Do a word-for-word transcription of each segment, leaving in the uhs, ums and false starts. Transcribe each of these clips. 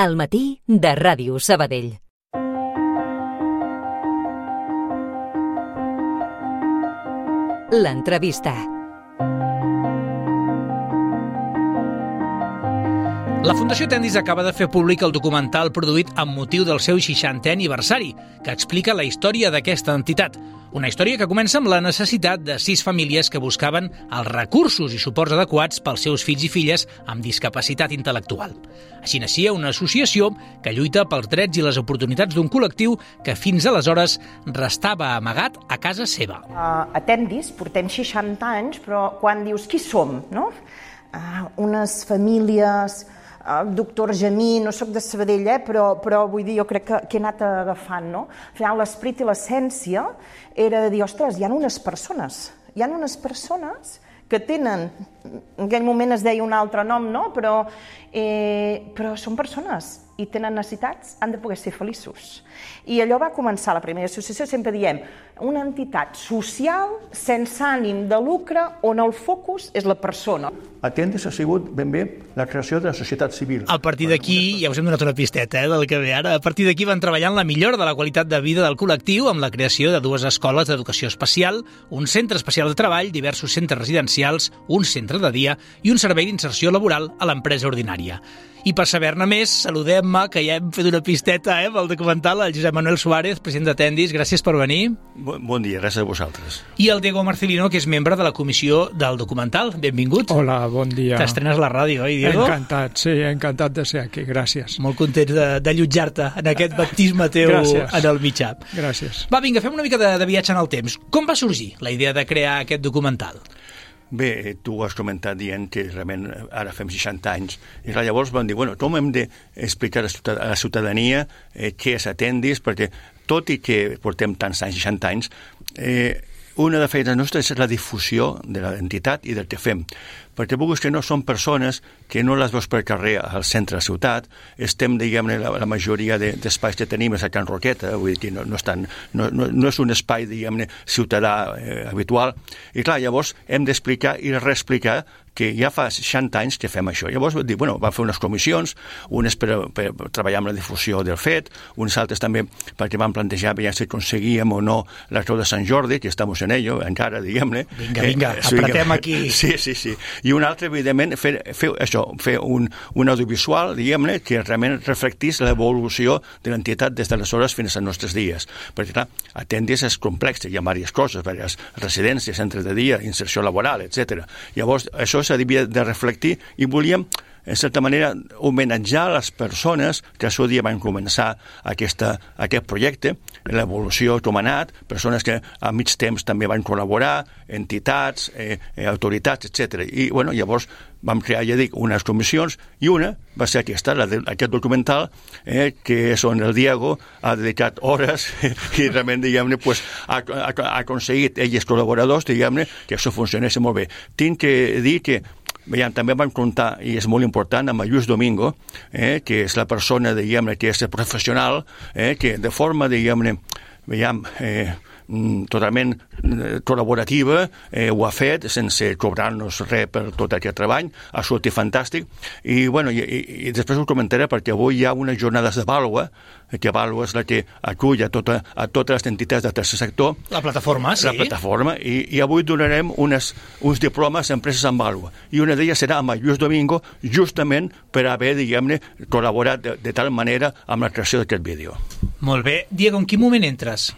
Al matí de Ràdio Sabadell. L'entrevista. La Fundació Tendis acaba de fer públic el documental produït amb motiu del seu seixantè aniversari, que explica la història d'aquesta entitat. Una història que comença amb la necessitat de sis famílies que buscaven els recursos i suports adequats pels seus fills i filles amb discapacitat intel·lectual. Així naixia una associació que lluita pels drets i les oportunitats d'un col·lectiu que fins aleshores restava amagat a casa seva. Uh, a Tendis portem seixanta anys, però quan dius qui som, no? Uh, unes famílies... El doctor Gemí, no sóc de Sabadell, eh, però, però vull dir, jo crec que, que he anat agafant, no? Al final, l'esperit i l'essència era de dir, ostres, hi ha unes persones, hi ha unes persones que tenen, en aquell moment es deia un altre nom, no? Però, eh, però són persones i tenen necessitats, han de poder ser feliços. I allò va començar, la primera associació, sempre diem, una entitat social sense ànim de lucre on el focus és la persona. A Tendis ha sigut ben bé la creació de la societat civil. A partir d'aquí, ja us hem donat una pisteta eh, del que ve ara, a partir d'aquí van treballar en la millora de la qualitat de vida del col·lectiu amb la creació de dues escoles d'educació especial, un centre especial de treball, diversos centres residencials, un centre de dia i un servei d'inserció laboral a l'empresa ordinària. I per saber-ne més, saludem-me, que ja hem fet una pisteta eh, pel documental, el Josep Manuel Suárez, president de Tendis. Gràcies per venir. Bon, bon dia, gràcies a vosaltres. I el Diego Marcelino, que és membre de la comissió del documental. Benvingut. Hola, bon dia. T'estrenes a la ràdio, oi, Diego? Encantat, sí, encantat de ser aquí, gràcies. Molt content de, de allotjar-te en aquest baptisme teu gràcies. En el mitjà. Gràcies. Va, vinga, fem una mica de, de viatge en el temps. Com va sorgir la idea de crear aquest documental? Bé, tu has comentat dient que realment ara fem seixanta anys i llavors vam dir, bueno, com hem d'explicar a la ciutadania eh, què és Tendis, perquè tot i que portem tants anys, seixanta anys, eh, una de les feines nostres és la difusió de l'entitat i del que fem. Perquè vulguis que no són persones que no les veus per carrer al centre de la ciutat, estem, diguem-ne, la, la majoria de, d'espais que tenim és a Can Roqueta, vull dir que no, no, estan, no, no, no és un espai, diguem-ne, ciutadà eh, habitual, i clar, llavors hem d'explicar i reexplicar que ja fa seixanta anys que fem això. Llavors vam dir, bueno, vam fer unes comissions, unes per, per treballar amb la difusió del fet, unes altres també perquè vam plantejar ja si aconseguíem o no la Creu de Sant Jordi, que estem en ello, encara, diguem-ne. Vinga, vinga, eh, apretem aquí. Sí, sí, sí. I un altre, evidentment, fer, fer això, fer un, un audiovisual, diguem-ne, que realment reflectís l'evolució de l'entitat des d'aleshores fins als nostres dies. Perquè, clar, a Tendis és complex, hi ha diverses coses, diverses residències, centres de dia, inserció laboral, etcètera. Llavors, això s'havia de reflectir i volíem, en certa manera, homenatjar les persones que al seu dia van començar aquesta, aquest projecte, l'evolució com ha anat, persones que a mig temps també van col·laborar, entitats, eh, autoritats, etcètera. I, bueno, llavors vam crear, ja dic, unes comissions i una va ser aquesta, la de, aquest documental, eh, que és on el Diego ha dedicat hores i realment, diguem-ne, pues, ha, ha, ha aconseguit ells col·laboradors, diguem-ne, que això funcionés molt bé. Tinc que dir que veiem, també vam comptar, i és molt important, amb Lluís Domingo, eh, que és la persona, diguem-ne, que és professional, eh, que de forma, diguem-ne, veiem, eh, totalment col·laborativa, eh, ho ha fet sense cobrar-nos res per tot aquest treball, ha sortit fantàstic i, bueno, i, i després ho comentaré perquè avui hi ha unes jornades de Vàlua, que Vàlua és la que acull a, tota, a totes les entitats del tercer sector. La plataforma, sí. La plataforma, i, i avui donarem unes, uns diplomes a empreses en Vàlua i una d'elles serà amb el Lluís Domingo justament per haver, diguem-ne, col·laborat de, de tal manera amb la creació d'aquest vídeo. Molt bé. Diego, en quin moment entres?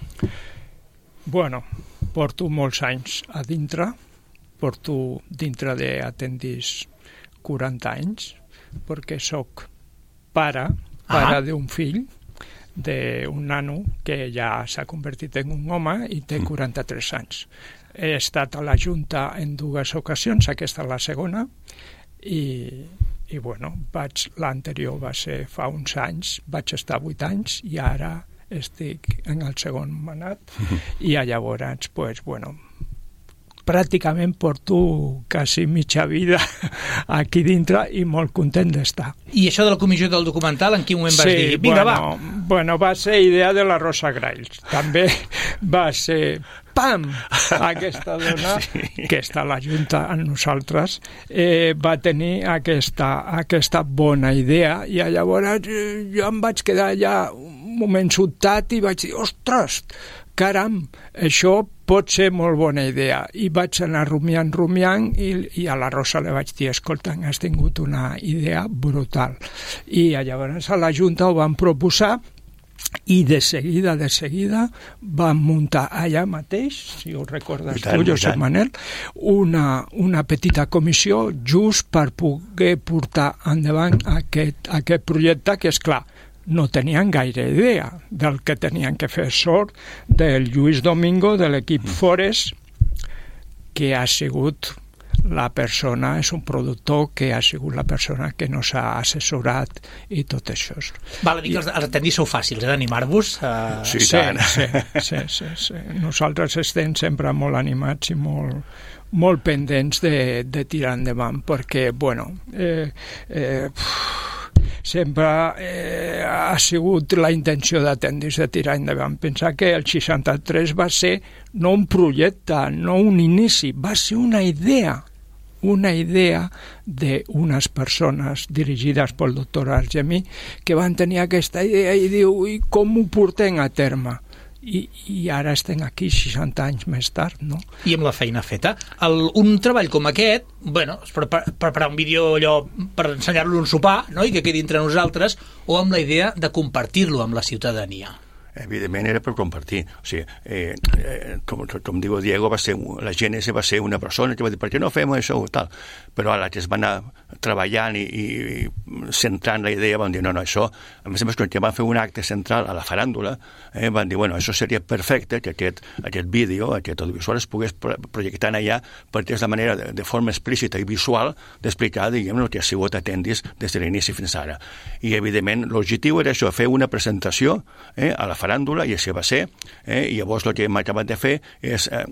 Bueno, porto molts anys a dintre, porto dintre de Tendis quaranta anys, perquè sóc pare, pare ah. d'un fill, d'un nano que ja s'ha convertit en un home i té quaranta-tres anys. He estat a la Junta en dues ocasions, aquesta és la segona, i, i bueno, vaig, l'anterior va ser fa uns anys, vaig estar vuit anys i ara estic en el segon mandat i llavors, pues, bueno, pràcticament porto quasi mitja vida aquí dintre i molt content d'estar. I això de la comissió del documental, en quin moment vas sí, dir? Vinga, bueno, va! Bueno, va ser idea de la Rosa Grails. També va ser... Pam! Aquesta dona, sí. que està a la Junta amb nosaltres, eh, va tenir aquesta, aquesta bona idea i llavors jo em vaig quedar allà un moment sobtat i vaig dir, ostres, caram, això pot ser molt bona idea. I vaig anar rumiant, rumiant i, i a la Rosa li vaig dir, escolta, has tingut una idea brutal. I llavors a la Junta ho van proposar i de seguida, de seguida van muntar allà mateix, si ho recordes tu, Josep Manel, una, una petita comissió just per poder portar endavant aquest, aquest projecte que, és clar, no tenien gaire idea del que tenien que fer. Sort del Lluís Domingo, de l'equip Forest, que ha sigut la persona, és un productor que ha sigut la persona que nos ha assessorat i tot això. Val a dir que els, els atendis sou fàcils, eh, d'animar-vos? Uh... Sí, sí, sí, sí, sí, sí. Nosaltres estem sempre molt animats i molt, molt pendents de, de tirar endavant, perquè, bueno, eh, eh, sempre eh, ha sigut la intenció d'Atendis de tirar endavant. Pensar que el seixanta-tres va ser no un projecte, no un inici, va ser una idea, una idea d'unes persones dirigides pel doctor Argemí que van tenir aquesta idea i diu, i com ho portem a terme? I, i ara estem aquí seixanta anys més tard, no? I amb la feina feta. El, un treball com aquest, bueno, és preparar, preparar un vídeo allò per ensenyar-lo un sopar, no?, i que quedi entre nosaltres, o amb la idea de compartir-lo amb la ciutadania. Evidentment era per compartir. O sigui, eh, eh, com, com diu Diego, va ser, la Gènesi va ser una persona que va dir, per què no fem això o tal? Però ara que es va anar treballant i, i, i centrant la idea, van dir, no, no, això, a més a més, quan van fer un acte central a la faràndula, eh, van dir, bueno, això seria perfecte que aquest, aquest vídeo, aquest audiovisual es pogués projectar allà, perquè és la manera de, de forma explícita i visual d'explicar, diguem, el que ha sigut Atendis des de l'inici fins ara. I, evidentment, l'objectiu era això, fer una presentació eh, a la faràndula, i així va ser, eh, i llavors el que hem acabat de fer és, eh,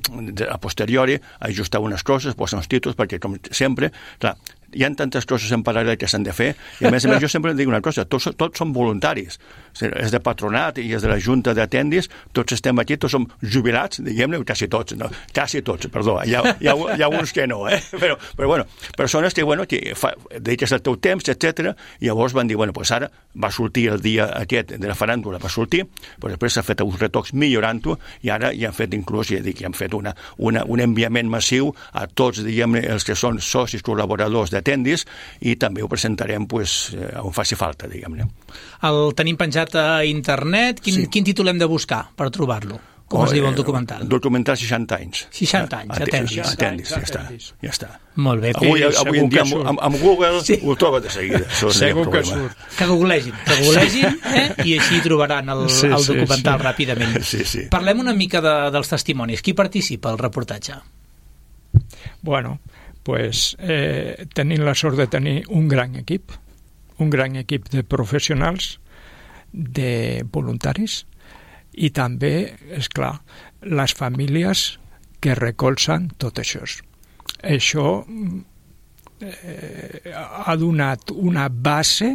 a posteriori, ajustar unes coses, posar uns títols, perquè, com sempre, clar, hi ha tantes coses en paral·lel que s'han de fer, i a més a més jo sempre dic una cosa, tots, tots són voluntaris, és de patronat i és de la Junta d'Atendis, tots estem aquí, tots som jubilats, diguem-ne, quasi tots, no, quasi tots, perdó, hi ha, hi ha, hi ha uns que no, eh? però, però bueno, persones que, bueno, que fa, dediques el teu temps, etcètera, i llavors van dir, bueno, pues ara va sortir el dia aquest de la faràndula, va sortir, però després s'ha fet uns retocs millorant-ho, i ara ja han fet inclús, ja dic, ja han fet una, una, un enviament massiu a tots, diguem-ne, els que són socis col·laboradors d'Atendis, i també ho presentarem pues, on faci falta, diguem-ne. El tenim penjat a internet. Quin, sí. quin títol hem de buscar per trobar-lo? Com oh, es diu el documental? Documental seixanta anys. seixanta anys, Atendis. Atendis, ja està. Ja està. Molt bé. Avui, avui en dia amb, amb, amb Google sí. ho troba de seguida. Segur que surt. Que googlegin, que googlegin eh? I així trobaran el, sí, el documental sí, sí. ràpidament. Sí, sí. Parlem una mica de, dels testimonis. Qui participa al reportatge? Bueno, pues eh, tenim la sort de tenir un gran equip, un gran equip de professionals, de voluntaris, i també, és clar, les famílies que recolzen tot això. Això eh, ha donat una base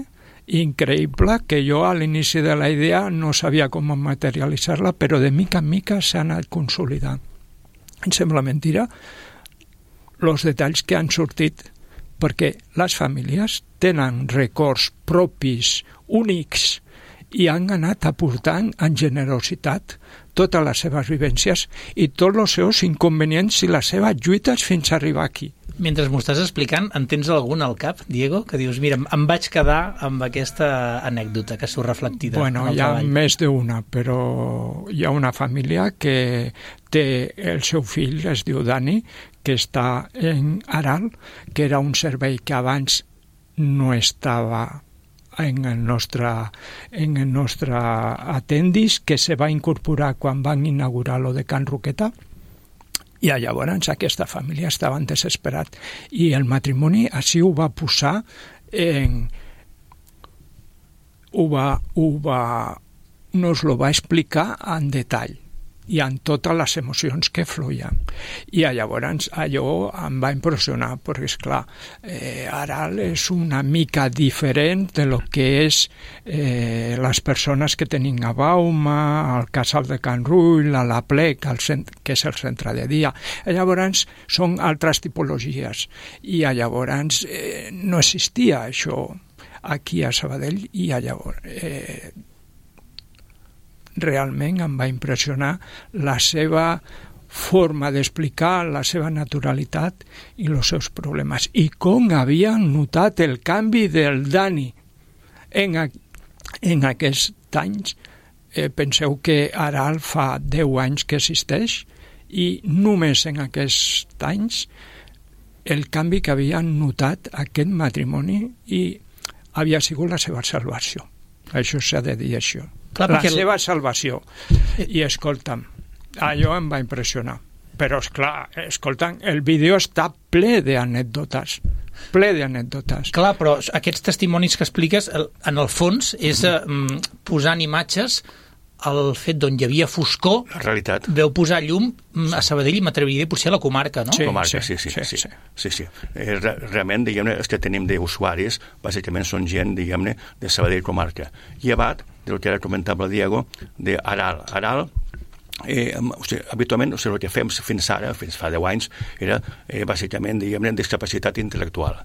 increïble que jo a l'inici de la idea no sabia com materialitzar-la, però de mica en mica s'ha anat consolidant. Em sembla mentira els detalls que han sortit, perquè les famílies tenen records propis, únics, i han anat aportant en generositat totes les seves vivències i tots els seus inconvenients i les seves lluites fins a arribar aquí. Mentre m'ho estàs explicant, en tens algun al cap, Diego, que dius, mira, em vaig quedar amb aquesta anècdota que surt reflectida bueno, en el hi ha treball? Més d'una, però hi ha una família que té el seu fill, es diu Dani, que està en Aral, que era un servei que abans no estava en el nostre, en el nostre Atendis, que se va incorporar quan van inaugurar lo de Can Roqueta, i llavors aquesta família estava desesperat i el matrimoni així ho va posar en... ho va, ho va nos lo va explicar en detall i amb totes les emocions que fluïen. I llavors allò em va impressionar, perquè, esclar, eh, Aral és una mica diferent de lo que és eh, les persones que tenim a Bauma, al Casal de Can Rull, a la Plec, al cent... que és el centre de dia. Llavors són altres tipologies. I llavors eh, no existia això aquí a Sabadell, i llavors... Eh, realment em va impressionar la seva forma d'explicar, la seva naturalitat i els seus problemes. I com havien notat el canvi del Dani en, a, en aquests anys. Eh, penseu que Aral fa deu anys que existeix i només en aquests anys el canvi que havien notat aquest matrimoni i havia sigut la seva salvació. Això s'ha de dir, això. Clar, la seva salvació. I escolta'm, allò em va impressionar. Però, esclar, escolta'm, el vídeo està ple d'anècdotes. Ple d'anècdotes. Clar, però aquests testimonis que expliques, en el fons, és eh, posant imatges al fet d'on hi havia foscor. La realitat. Veu posar llum a Sabadell i m'atreviria potser a la comarca, no? Sí, comarca, sí, sí, sí. sí, sí, sí, sí. Eh, re, realment, diguem-ne, els que tenim d'usuaris, bàsicament són gent, diguem-ne, de Sabadell comarca. Llevat del que ara comentava el Diego, d'Aral. Aral, eh, o sigui, habitualment, o sigui, el que fem fins ara, fins fa deu anys, era eh, bàsicament, diguem-ne, discapacitat intel·lectual.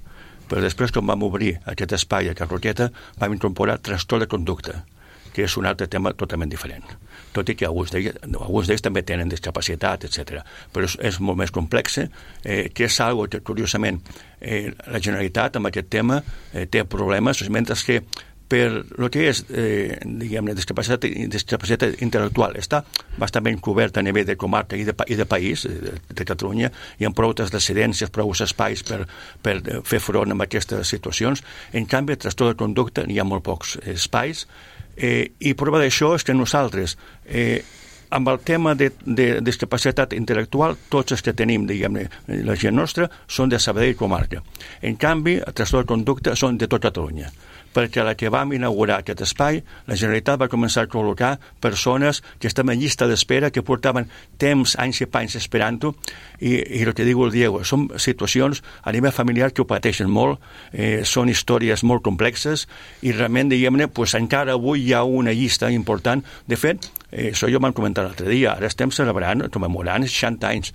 Però després, quan vam obrir aquest espai a Can Roqueta, vam incorporar trastorn de conducta, que és un altre tema totalment diferent. Tot i que alguns d'ells, alguns d'ells també tenen discapacitat, etcètera. Però és, és molt més complex, eh, que és algo que, curiosament, eh, la Generalitat amb aquest tema eh, té problemes, mentre que per el que és, eh, diguem-ne, discapacitat, discapacitat intel·lectual està bastant ben cobert a nivell de comarca i de, i de país, de, de Catalunya, hi ha prou residències, prou espais per, per fer front a aquestes situacions. En canvi, el trastorn de conducta hi ha molt pocs espais, eh, i prova d'això és que nosaltres, eh, amb el tema de, de discapacitat intel·lectual, tots els que tenim, diguem-ne, la gent nostra, són de Sabadell comarca. En canvi, el trastorn de conducta són de tot Catalunya, perquè a la que vam inaugurar aquest espai, la Generalitat va començar a col·locar persones que estaven en llista d'espera, que portaven temps, anys i panys esperant-ho, i, i el que diu el Diego, són situacions a nivell familiar que ho pateixen molt, eh, són històries molt complexes, i realment, diguem-ne, pues, encara avui hi ha una llista important. De fet, eh, això jo m'han comentat l'altre dia, ara estem celebrant, commemorant seixanta anys,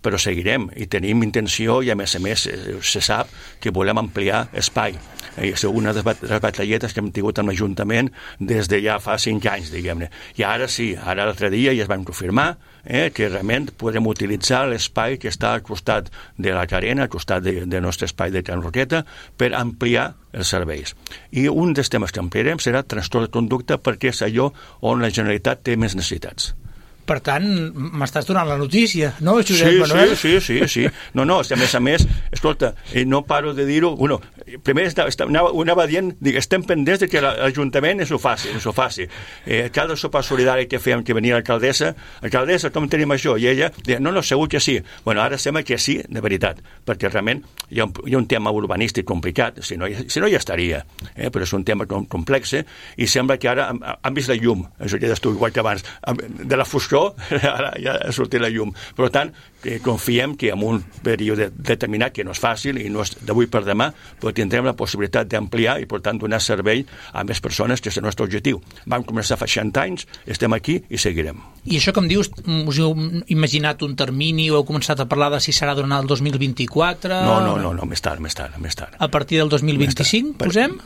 però seguirem i tenim intenció i a més a més se sap que volem ampliar espai. Eh, és una de les batalletes que hem tingut amb l'Ajuntament des de ja fa cinc anys, diguem-ne. I ara sí, ara l'altre dia ja es van confirmar eh, que realment podrem utilitzar l'espai que està al costat de la Carena, al costat de, del nostre espai de Can Roqueta, per ampliar els serveis. I un dels temes que ampliarem serà trastorn de conducta, perquè és allò on la Generalitat té més necessitats. Per tant, m'estàs donant la notícia, no, Josep sí, Manuel? Sí, sí, sí, sí. No, no, a més a més, escolta, no paro de dir-ho, bueno, primer anava, anava dient, dic, estem pendents de que l'Ajuntament ens ho faci, ens ho faci. Eh, cada sopar solidari que fèiem, que venia l'alcaldessa, alcaldessa, com tenim això? I ella deia, no, no, segur que sí. Bueno, ara sembla que sí, de veritat, perquè realment hi ha un, hi ha un tema urbanístic complicat, si no, si no ja estaria, eh, però és un tema complex, eh, i sembla que ara han, han vist la llum, això ja d'estiu igual que abans, de la foscor ara ja ha sortit la llum. Per tant, que confiem que en un període determinat, que no és fàcil i no és d'avui per demà, però tindrem la possibilitat d'ampliar i, per tant, donar servei a més persones, que és el nostre objectiu. Vam començar fa seixanta anys, estem aquí i seguirem. I això que em dius, us heu imaginat un termini o heu començat a parlar de si serà durant el dos mil vint-i-quatre? No, no, no, no, més tard, més tard, més tard. A partir del dos mil vint-i-cinc, posem?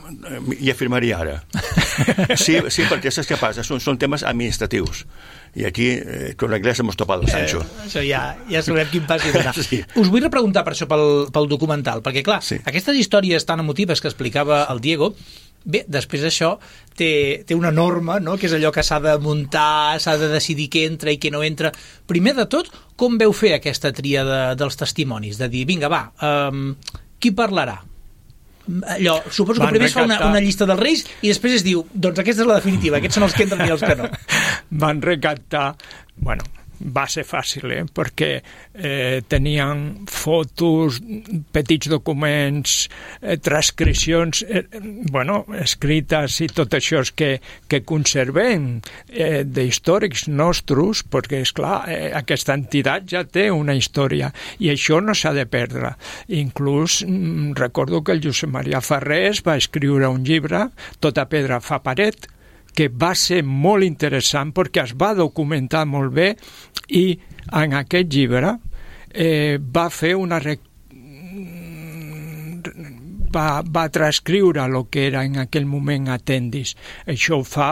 I afirmaria ara. Sí, sí, perquè saps què passa? Són, són temes administratius. I aquí, eh, con l'anglès hemos topado, Sancho. Eh, això ja, ja sabem quin pas hi donà. Sí. Us vull repreguntar per això pel, pel documental, perquè clar, sí. Aquestes històries tan emotives que explicava el Diego, bé, després d'això té, té una norma, no?, que és allò que s'ha de muntar, s'ha de decidir què entra i què no entra. Primer de tot, com veu fer aquesta tria de, dels testimonis? De dir, vinga, va, um, qui parlarà? Allò, suposo que primer es fa una, una llista dels reis i després es diu, doncs aquesta és la definitiva, aquests són els que entren i els que no. Van recaptar, bueno, va ser fàcil, eh? perquè eh, tenien fotos, petits documents, eh, transcripcions, eh, bueno, escrites i tot això que, que conservem eh, d'històrics nostres, perquè, esclar, eh, aquesta entitat ja té una història i això no s'ha de perdre. Inclús mm, recordo que el Josep Maria Farrés va escriure un llibre, Tota pedra fa paret, que va ser molt interessant perquè es va documentar molt bé i en aquest llibre eh, va fer una... Rec... Va, va transcriure el que era en aquell moment Atendis. Això fa,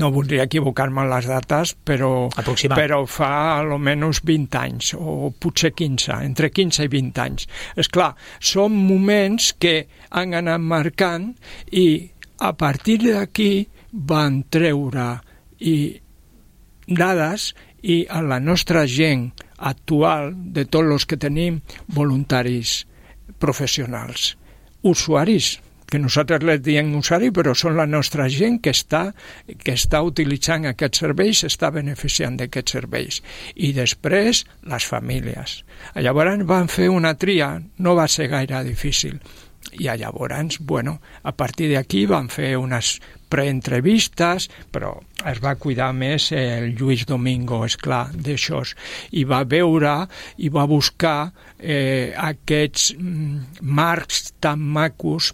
no voldria equivocar-me en les dates, però, però fa almenys vint anys, o potser quinze, entre quinze i vint anys. Esclar, són moments que han anat marcant i a partir d'aquí van treure i dades i a la nostra gent actual, de tots els que tenim, voluntaris professionals, usuaris, que nosaltres les diem usuari, però són la nostra gent que està, que està utilitzant aquests serveis, està beneficiant d'aquests serveis. I després, les famílies. Llavors van fer una tria, no va ser gaire difícil. I llavors, bueno, a partir d'aquí van fer unes preentrevistes, però es va cuidar més el Lluís Domingo, esclar, d'això, i va veure i va buscar eh, aquests mm, marcs tan macos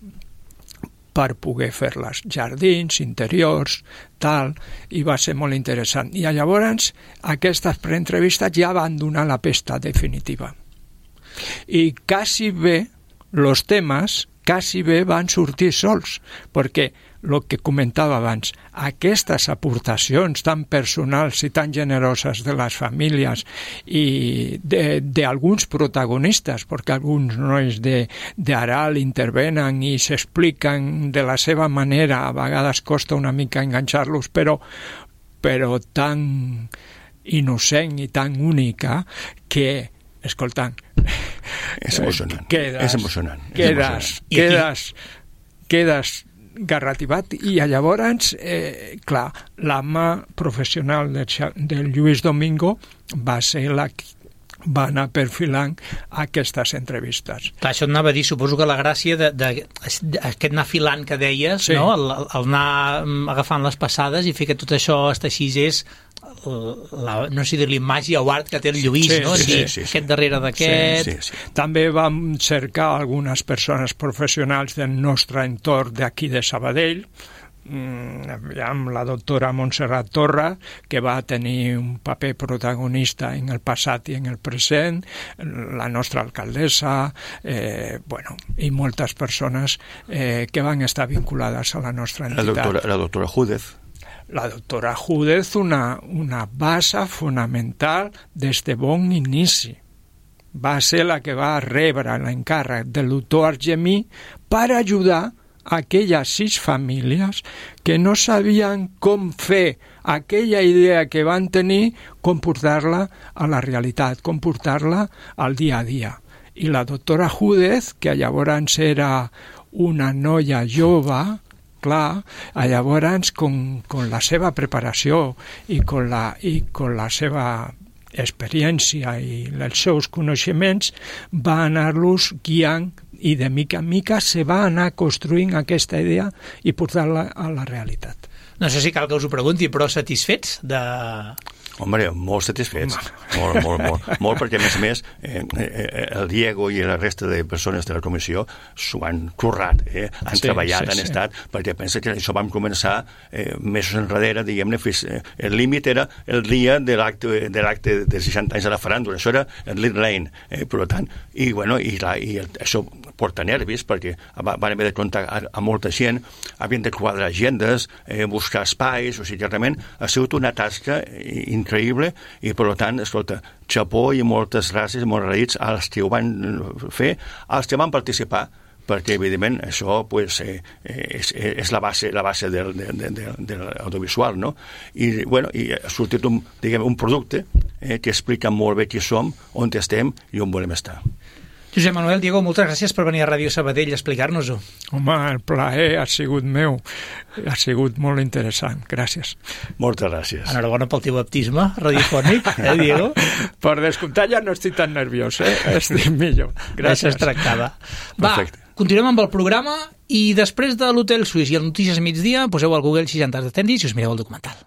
per poder fer-les, jardins, interiors, tal, i va ser molt interessant. I llavors aquestes preentrevistes ja van donar la pesta definitiva. I quasi bé els temes quasi bé van sortir sols, perquè el que comentava abans, aquestes aportacions tan personals i tan generoses de les famílies i d'alguns protagonistes, perquè alguns nois d'Aral intervenen i s'expliquen de la seva manera, a vegades costa una mica enganxar-los, però, però tan innocent i tan única que, escoltant, és emocionant, quedes, és emocionant. Quedes, quedes, quedes garrativat i llavors, eh, clar, la mà professional del, del Lluís Domingo va ser la que va anar perfilant aquestes entrevistes. Clar, això anava a dir, suposo que la gràcia d'aquest anar filant que deies, sí. No? el, el anar agafant les passades i fer que tot això es teixís és la, no sé dir-li màgia o art que té el Lluís, sí, no? Sí, sí, sí, sí, aquest sí. Darrere d'aquest... Sí, sí, sí. També vam cercar algunes persones professionals del nostre entorn d'aquí de Sabadell, amb la doctora Montserrat Torra, que va tenir un paper protagonista en el passat i en el present, la nostra alcaldessa, eh, bueno, i moltes persones eh, que van estar vinculades a la nostra entitat. La doctora, la doctora Júdez. La doctora Júdez, una, una base fonamental des de bon inici. Va ser la que va rebre l'encàrrec del doctor Argemí per ajudar aquelles sis famílies que no sabien com fer aquella idea que van tenir, com portar-la a la realitat, com portar-la al dia a dia. I la doctora Júdez, que llavors era una noia jove, clar, llavors, con, con la seva preparació i con la, i con la seva experiència i els seus coneixements, va anar-los guiant i de mica en mica se va anar construint aquesta idea i portar-la a la realitat. No sé si cal que us ho pregunti, però satisfets de... Hombre, molt satisfets, molt, molt, molt, molt, perquè a més a més eh, eh, el Diego i la resta de persones de la comissió s'ho han currat, eh? han sí, treballat, sí, han sí. estat, perquè pensa que això vam començar eh, mesos enrere, diguem-ne, eh, el límit era el dia de l'acte de l'acte de seixanta anys de la faràndula, això era el Lit Lane, eh, per tant, i, bueno, i, la, i el, això porta nervis, perquè van haver de comptar a molta gent, havien de quadrar agendes, eh, buscar espais, o sigui, realment ha sigut una tasca increïble i, per tant, escolta, xapó i moltes gràcies, molts agraïts als que ho van fer, als que van participar, perquè, evidentment, això pues, eh, és, és la base, la base del, de, de, de, de l'audiovisual, no? I, bueno, i ha sortit un, diguem, un producte eh, que explica molt bé qui som, on estem i on volem estar. Josep Manuel, Diego, moltes gràcies per venir a Ràdio Sabadell a explicar-nos-ho. Home, el plaer ha sigut meu. Ha sigut molt interessant. Gràcies. Moltes gràcies. Enhorabona pel teu baptisme radiofònic, eh, Diego? Per descomptat ja no estic tan nerviós, eh? Estic millor. Gràcies. Es tractava. Va, perfecte. Continuem amb el programa i després de l'Hotel Suís i el Notícies Migdia poseu al Google seixanta Attendis i us mireu el documental.